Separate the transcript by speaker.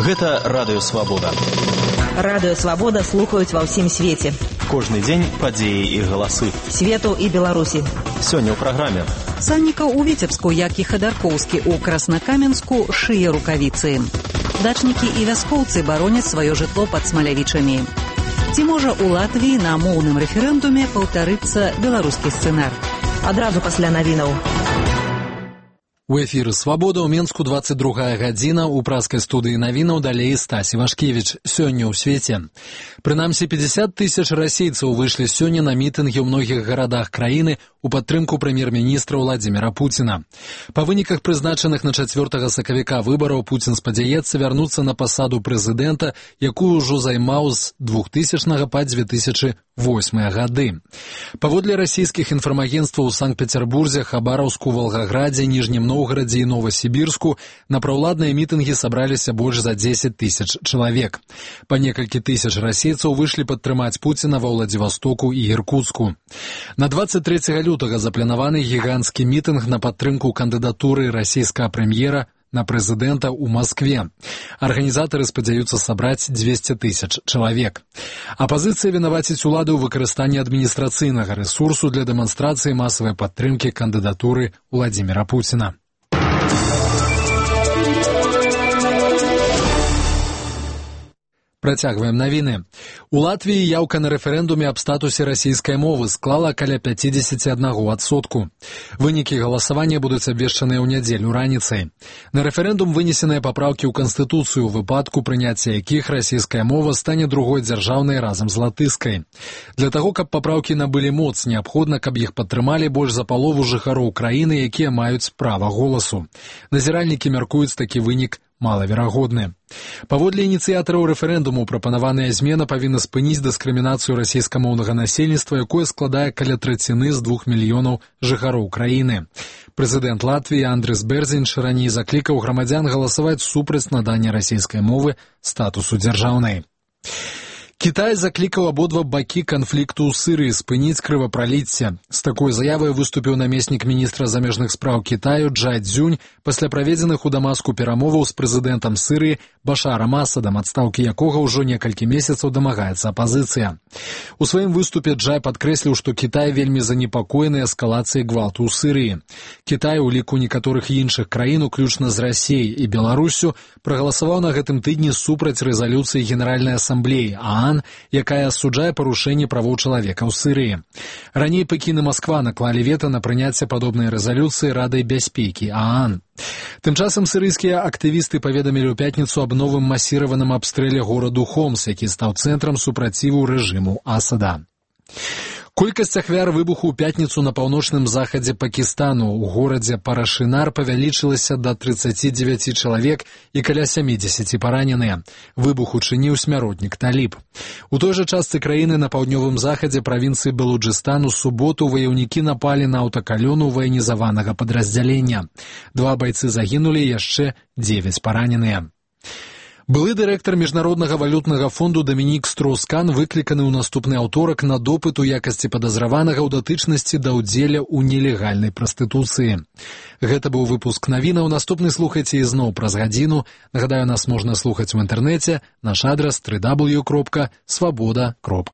Speaker 1: Гэта Радыё Свабода.
Speaker 2: Радыё Свабода слухаюць ва ўсім свеце.
Speaker 1: Кожны дзень падзеі і галасы.
Speaker 2: Свету і Беларусі.
Speaker 1: Сёння ў праграме.
Speaker 3: Санніка ў Віцебску, як і Хадаркоўскі ў Краснакаменску, шые рукавіцы. Дачнікі і вяскоўцы бароняць сваё жытло пад Смалявічамі. Ці можа ў Латвіі на моўным рэферэндуме паўтарыцца беларускі сцэнар?
Speaker 2: Адразу пасля навінаў.
Speaker 4: У эфіры «Свабода» ў Менску 22 гадзіна, у праскай студыі навінаў далей Стасі Вашкевіч. Сёння ў свеце. Прынамсі 50 тысяч расейцаў выйшлі сёння на мітынгі ў многіх гарадах краіны у падтрымку прэм'ер-міністра Владзіміра Пуціна. Па выніках прызначаных на 4 сакавіка выбараў Пуцін спадзяецца вярнуцца на пасаду прэзідэнта, якую ўжо займаў з 2000 па 2008 гады. Паводле расійскіх інфармагенцтваў у Санкт-Петербурзе, Хабараўску, Волгаградзе, Ніжнім Новгарадзе і Новасібірску на праўладныя мітынгі сабраліся больш за 10 тысяч чалавек. Па некалькі тысяч расейцаў выйшлі падтрымаць Пуціна ва Владзівастоку і Іркуцку. На 23 лютага запланаваны гіганцкі мітынг на падтрымку кандыдатуры расійскага прэм'ера на прэзідэнта ў Маскве. Арганізатары спадзяюцца сабраць 200 тысяч чалавек. Апазіцыя вінаваціць уладу ў выкарыстанні адміністрацыйнага рэсурсу для дэманстрацыі масавай падтрымкі кандыдатуры Владзіміра Пуціна. Працягваем навіны. У Латвіі яўка на рэферэндуме аб статусе расійскай мовы склала каля 51%. Вынікі галасавання будуць абвешчаныя ў нядзелю раніцай. На рэферэндум вынесеныя папраўкі ў Канстытуцыю, у выпадку прыняцця якіх расійская мова стане другой дзяржаўнай разам з латышскай. Для таго, каб папраўкі набылі моц, неабходна, каб іх падтрымалі больш за палову жыхароў краіны, якія маюць права голасу. Назіральнікі мяркуюць такі вынік малаверагодны. Паводле ініцыятараў рэферэндуму прапанаваная змена павінна спыніць дыскрымінацыю расійскамоўнага насельніцтва, якое складае каля траціны з 2 мільёнаў жыхароў краіны. Прэзідэнт Латвіі Андрыс Бэрзінш раней заклікаў грамадзян галасаваць супраць надання расійскай мовы статусу дзяржаўнай. Кітай заклікаў абодва бакі канфлікту ў Сырыі спыніць крывапраліцце. З такой заявай выступіў намеснік міністра замежных спраў Кітаю Джай Цзюнь пасля праведзеных у Дамаску перамоваў з прэзідэнтам Сырыі Башарам Асадам, адстаўкі якога ўжо некалькі месяцаў дамагаецца апазіцыя. У сваім выступе Джай падкрэсліў, што Кітай вельмі занепакоены эскалацыяй гвалту ў Сырыі. Кітай у ліку некаторых іншых краін, уключна з Расіяй і Беларуссю, прагаласаваў на гэтым тыдні супраць рэзалюцыі Генеральнай асамблеі якая асуджае парушэнне правоў чалавека ў Сырыі. Раней Пекін і Масква наклалі вета на прыняцце падобнай рэзалюцыі Радай бяспекі ААН. Тым часам сырыйскія актывісты паведамілі ў пятніцу аб новым масіраваным абстрэле гораду Хомс, які стаў цэнтрам супраціву рэжыму Асада. Колькасць ахвяр выбуху ў пятніцу на паўночным захадзе Пакістану ў горадзе Парашынар павялічылася да 39 чалавек і каля 70 параненыя. Выбух учыніў смяротнік Таліб. У той жа частцы краіны на паўднёвым захадзе правінцыі Балуджыстан у суботу ваяўнікі напалі на аўтакалёну ваенізаванага падраздзялення. 2 байцы загінулі, яшчэ 9 параненыя. Былы дырэктар Міжнароднага валютнага фонду Дамінік Строўс-Кан выкліканы ў наступны аўторак на допыт у якасці падазраванага ў датычнасці да ўдзеля ў нелегальнай прастытуцыі. Гэта быў выпуск навінаў. Наступны слухайце ізноў праз гадзіну. Нагадаю, нас можна слухаць у інтэрнэце. Наш адрас www.swaboda.ru.